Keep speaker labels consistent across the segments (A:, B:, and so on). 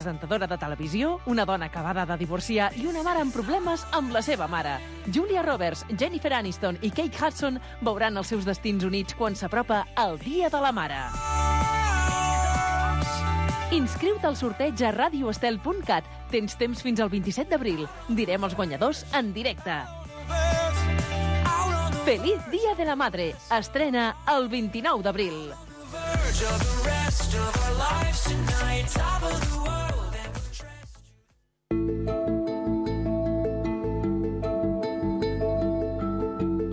A: Presentadora de televisió, una dona acabada de divorciar i una mare amb problemes amb la seva mare. Julia Roberts, Jennifer Aniston i Kate Hudson veuran els seus destins units quan s'apropa el Dia de la Mare. Inscriu-te al sorteig a radioestel.cat. Tens temps fins al 27 d'abril. Direm els guanyadors en directe. Feliz Día de la Madre. Estrena el 29 d'abril.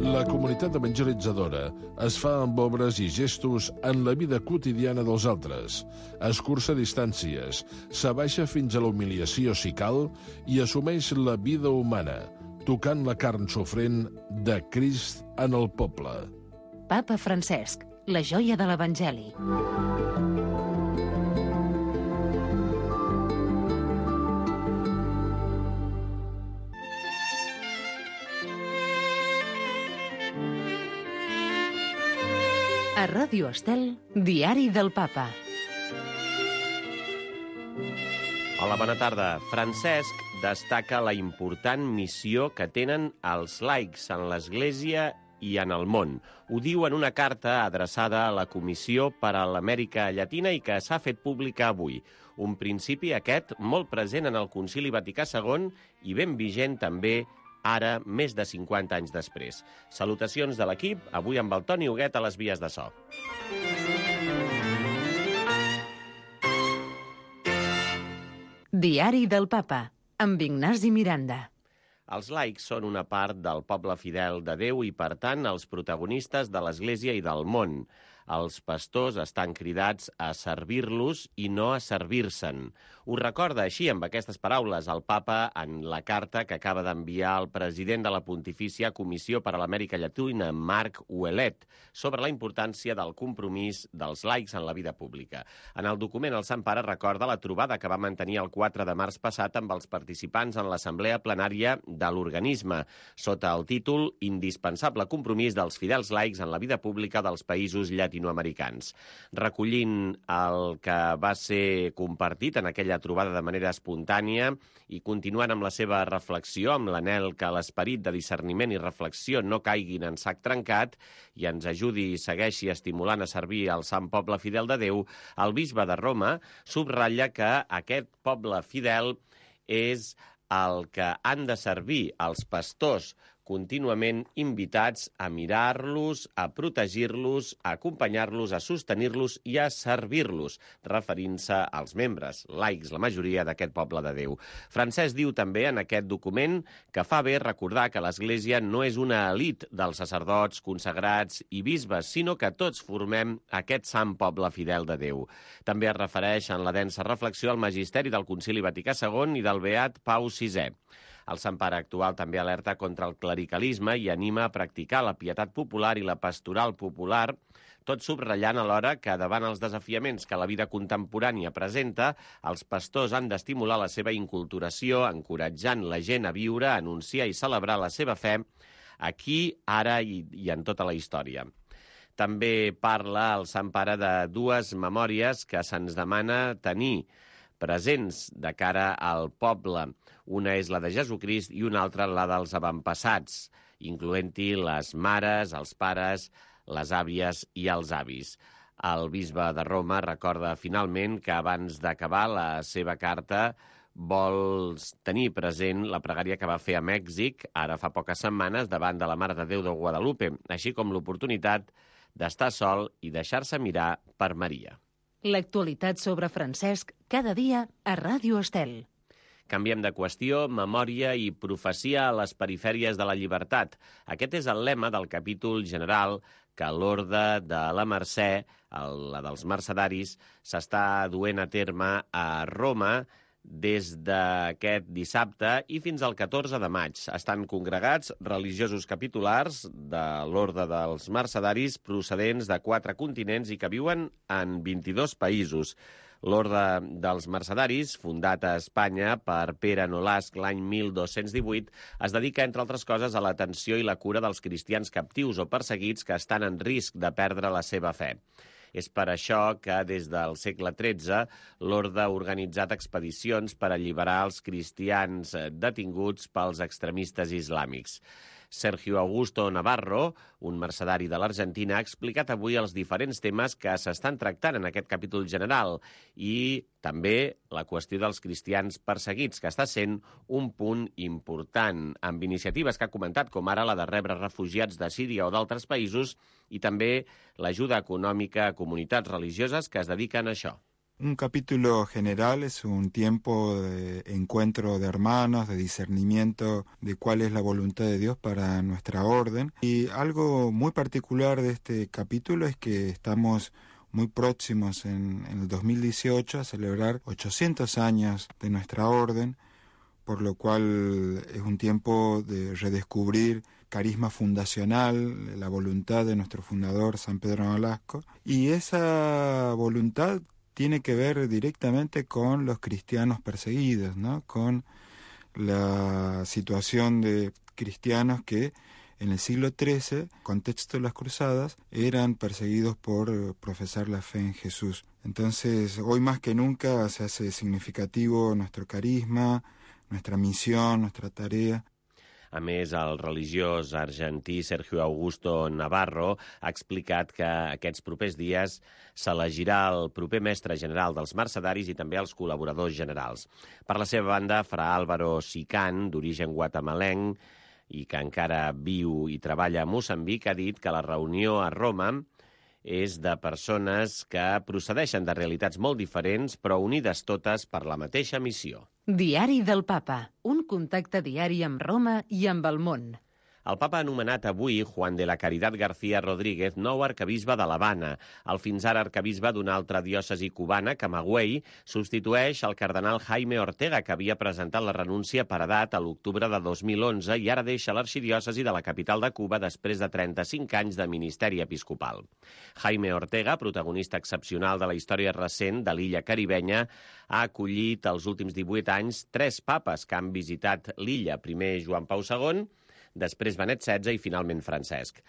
B: La comunitat evangelitzadora es fa amb obres i gestos en la vida quotidiana dels altres, escurça distàncies, s'abaixa fins a la humiliació si cal i assumeix la vida humana, tocant la carn sofrent de Crist en el poble.
C: Papa Francesc, la joia de l'Evangeli. A Ràdio Estel, Diari del Papa.
D: Hola, bona tarda. Francesc destaca la important missió que tenen els laics en l'Església i en el món. Ho diu en una carta adreçada a la Comissió per a l'Amèrica Llatina i que s'ha fet pública avui. Un principi aquest molt present en el Concili Vaticà II i ben vigent també ara, més de 50 anys després. Salutacions de l'equip, avui amb el Toni Huguet a les vies de so.
C: Diari del Papa, amb Ignasi Miranda.
D: Els laics són una part del poble fidel de Déu i, per tant, els protagonistes de l'Església i del món. Els pastors estan cridats a servir-los i no a servir-se'n. Ho recorda així, amb aquestes paraules, el papa en la carta que acaba d'enviar el president de la Pontifícia Comissió per a l'Amèrica Llatina, Marc Ouellet, sobre la importància del compromís dels laics en la vida pública. En el document, el Sant Pare recorda la trobada que va mantenir el 4 de març passat amb els participants en l'assemblea plenària de l'organisme, sota el títol «Indispensable compromís dels fidels laics en la vida pública dels països llatinoamericans». Recollint el que va ser compartit en aquella trobada de manera espontània i continuant amb la seva reflexió, amb l'anhel que l'esperit de discerniment i reflexió no caiguin en sac trencat i ens ajudi i segueixi estimulant a servir al Sant Poble Fidel de Déu, el bisbe de Roma subratlla que aquest poble fidel és el que han de servir els pastors, contínuament invitats a mirar-los, a protegir-los, a acompanyar-los, a sostenir-los i a servir-los, referint-se als membres, laics, la majoria d'aquest poble de Déu. Francesc diu també en aquest document que fa bé recordar que l'Església no és una elit dels sacerdots, consagrats i bisbes, sinó que tots formem aquest sant poble fidel de Déu. També es refereix en la densa reflexió al magisteri del Concili Vaticà II i del Beat Pau VI. El Sant Pare actual també alerta contra el clericalisme i anima a practicar la pietat popular i la pastoral popular, tot subratllant alhora que davant els desafiaments que la vida contemporània presenta, els pastors han d'estimular la seva inculturació, encoratjant la gent a viure, a anunciar i celebrar la seva fe aquí, ara i en tota la història. També parla el Sant Pare de dues memòries que se'ns demana tenir presents de cara al poble. Una és la de Jesucrist i una altra la dels avantpassats, incloent-hi les mares, els pares, les àvies i els avis. El bisbe de Roma recorda finalment que abans d'acabar la seva carta vol tenir present la pregària que va fer a Mèxic ara fa poques setmanes davant de la Mare de Déu de Guadalupe, així com l'oportunitat d'estar sol i deixar-se mirar per Maria.
C: L'actualitat sobre Francesc cada dia a Ràdio Estel.
D: Canviem de qüestió, memòria i profecia a les perifèries de la llibertat. Aquest és el lema del capítol general que l'Orde de la Mercè, la dels mercedaris, s'està duent a terme a Roma des d'aquest dissabte i fins al 14 de maig. Estan congregats religiosos capitulars de l'Orde dels Mercedaris procedents de 4 continents i que viuen en 22 països. L'Orde dels Mercedaris, fundat a Espanya per Pere Nolasc l'any 1218, es dedica, entre altres coses, a l'atenció i la cura dels cristians captius o perseguits que estan en risc de perdre la seva fe. És per això que des del segle XIII l'orde ha organitzat expedicions per alliberar els cristians detinguts pels extremistes islàmics. Sergio Augusto Navarro, un mercedari de l'Argentina, ha explicat avui els diferents temes que s'estan tractant en aquest capítol general i també la qüestió dels cristians perseguits, que està sent un punt important, amb iniciatives que ha comentat, com ara la de rebre refugiats de Síria o d'altres països, i també l'ajuda econòmica a comunitats religioses que es dediquen a això.
E: Un capítulo general es un tiempo de encuentro de hermanos, de discernimiento de cuál es la voluntad de Dios para nuestra orden. Y algo muy particular de este capítulo es que estamos muy próximos en el 2018 a celebrar 800 años de nuestra orden, por lo cual es un tiempo de redescubrir carisma fundacional, la voluntad de nuestro fundador San Pedro Nolasco, y esa voluntad tiene que ver directamente con los cristianos perseguidos, ¿no? Con la situación de cristianos que en el siglo XIII, contexto de las cruzadas, eran perseguidos por profesar la fe en Jesús. Entonces, hoy más que nunca se hace significativo nuestro carisma, nuestra misión, nuestra tarea.
D: A més, el religiós argentí Sergio Augusto Navarro ha explicat que aquests propers dies s'elegirà el proper mestre general dels mercedaris i també els col·laboradors generals. Per la seva banda, fra Álvaro Sicán, d'origen guatemalenc i que encara viu i treballa a Moçambic, ha dit que la reunió a Roma és de persones que procedeixen de realitats molt diferents, però unides totes per la mateixa missió.
C: Diari del Papa, un contacte diari amb Roma i amb el món.
D: El papa ha anomenat avui Juan de la Caridad García Rodríguez nou arquebisbe de l'Havana. El fins ara arquebisbe d'una altra diòcesi cubana, Camagüey, substitueix el cardenal Jaime Ortega, que havia presentat la renúncia per edat a l'octubre de 2011 i ara deixa l'arxidiòcesi de la capital de Cuba després de 35 anys de ministeri episcopal. Jaime Ortega, protagonista excepcional de la història recent de l'illa caribenya, ha acollit els últims 18 anys 3 papes que han visitat l'illa. Primer Joan Pau II, després Benet XVI i finalment Francesc.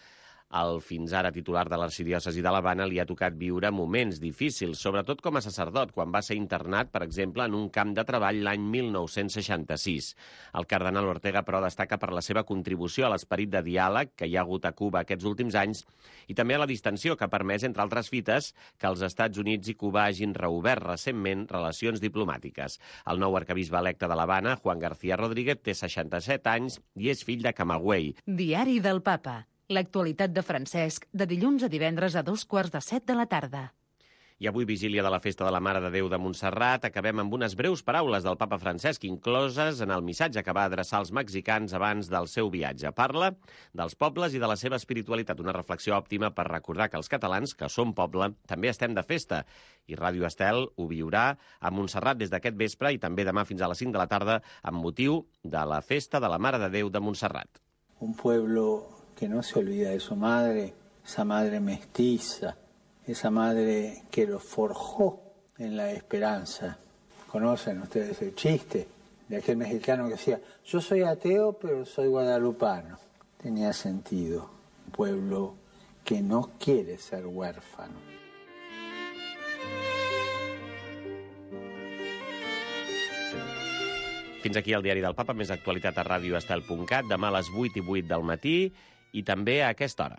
D: El fins ara titular de l'arxidiòcesi de l'Havana li ha tocat viure moments difícils, sobretot com a sacerdot, quan va ser internat, per exemple, en un camp de treball l'any 1966. El cardenal Ortega, però, destaca per la seva contribució a l'esperit de diàleg que hi ha hagut a Cuba aquests últims anys i també a la distensió que ha permès, entre altres fites, que els Estats Units i Cuba hagin reobert recentment relacions diplomàtiques. El nou arquebisbe electe de l'Havana, Juan García Rodríguez, té 67 anys i és fill de Camagüey.
C: Diari del Papa. L'actualitat de Francesc, de dilluns a divendres a 6:45 de la tarda.
D: I avui, vigília de la Festa de la Mare de Déu de Montserrat, acabem amb unes breus paraules del papa Francesc, incloses en el missatge que va adreçar als mexicans abans del seu viatge. Parla dels pobles i de la seva espiritualitat, una reflexió òptima per recordar que els catalans, que som poble, també estem de festa. I Ràdio Estel ho viurà a Montserrat des d'aquest vespre i també demà fins a les 5 de la tarda amb motiu de la Festa de la Mare de Déu de Montserrat.
F: Un pueblo que no se olvida de su madre, esa madre mestiza, esa madre que lo forjó en la esperanza. ¿Conocen ustedes el chiste de aquel mexicano que decía, yo soy ateo pero soy guadalupano? Tenía sentido, un pueblo que no quiere ser huérfano.
D: Fins aquí el Diari del Papa, més actualitat a radioestel.cat, demà a les 8:08 del matí i també a aquesta hora.